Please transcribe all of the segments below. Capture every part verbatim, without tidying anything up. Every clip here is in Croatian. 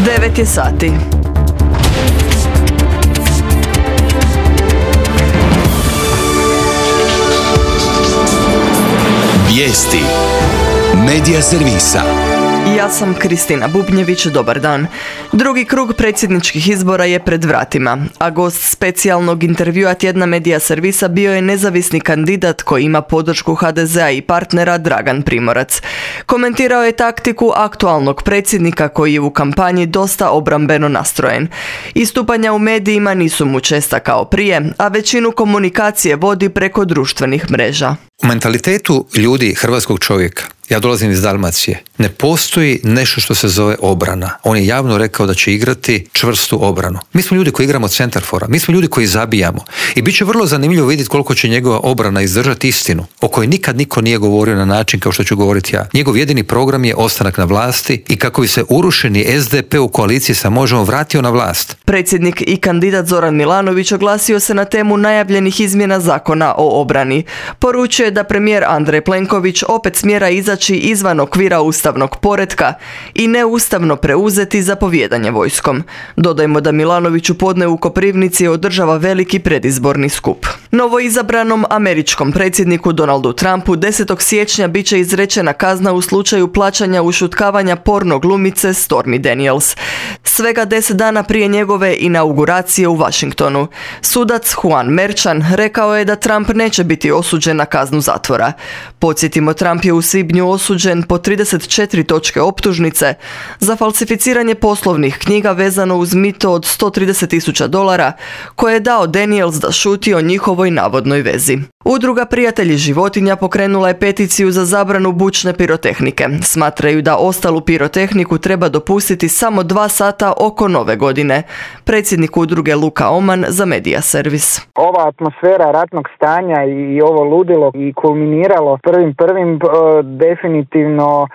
devet je sati. Vijesti Medija servisa. Ja sam Kristina Bubnjević, dobar dan. Drugi krug predsjedničkih izbora je pred vratima, a gost specijalnog intervjua tjedna Medija servisa bio je nezavisni kandidat koji ima podršku ha de zea i partnera Dragan Primorac. Komentirao je taktiku aktualnog predsjednika koji je u kampanji dosta obrambeno nastrojen. Istupanja u medijima nisu mu česta kao prije, a većinu komunikacije vodi preko društvenih mreža. U mentalitetu ljudi, hrvatskog čovjeka, ja dolazim iz Dalmacije, ne postoji nešto što se zove obrana. On je javno rekao da će igrati čvrstu obranu. Mi smo ljudi koji igramo centarfora, mi smo ljudi koji zabijamo. I bit će vrlo zanimljivo vidjeti koliko će njegova obrana izdržati istinu, o kojoj nikad niko nije govorio na način kao što ću govoriti ja. Njegov jedini program je ostanak na vlasti i kako bi se urušeni es de pe u koaliciji sa Možemo vratio na vlast. Predsjednik i kandidat Zoran Milanović oglasio se na temu najavljenih izmjena zakona o obrani. Poručuje da premijer Andrej Plenković opet smjera izaći izvan okvira ustavnog poretka i neustavno preuzeti zapovijedanje vojskom. Dodajmo da Milanović u podne u Koprivnici održava veliki predizborni skup. Novoizabranom američkom predsjedniku Donaldu Trumpu desetog siječnja bit će izrečena kazna u slučaju plaćanja ušutkavanja porno glumice Stormy Daniels. Svega deset dana prije njegove inauguracije u Washingtonu. Sudac Juan Merchan rekao je da Trump neće biti osuđen na kaznu zatvora. Podsjetimo, Trump je u svibnju osuđen po trideset četiri točke optužnice za falsificiranje poslovnih knjiga vezano uz mito od sto trideset tisuća dolara koje je dao Daniels da šuti o njihovoj navodnoj vezi. Udruga Prijatelji životinja pokrenula je peticiju za zabranu bučne pirotehnike. Smatraju da ostalu pirotehniku treba dopustiti samo dva sata oko nove godine. Predsjednik udruge Luka Oman za Medija servis. Ova atmosfera ratnog stanja i ovo ludilo i kulminiralo prvim prvim definitivno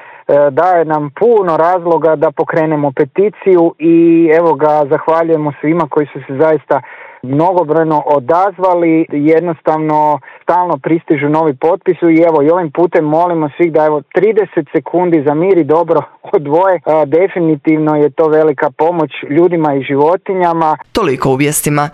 daje nam puno razloga da pokrenemo peticiju i evo ga, zahvaljujemo svima koji su se zaista mnogobrojno odazvali, jednostavno stalno pristižu novi potpisi i evo i ovim putem molimo svih da evo trideset sekundi za mir i dobro odvoje. A, definitivno je to velika pomoć ljudima i životinjama. Toliko u vijestima.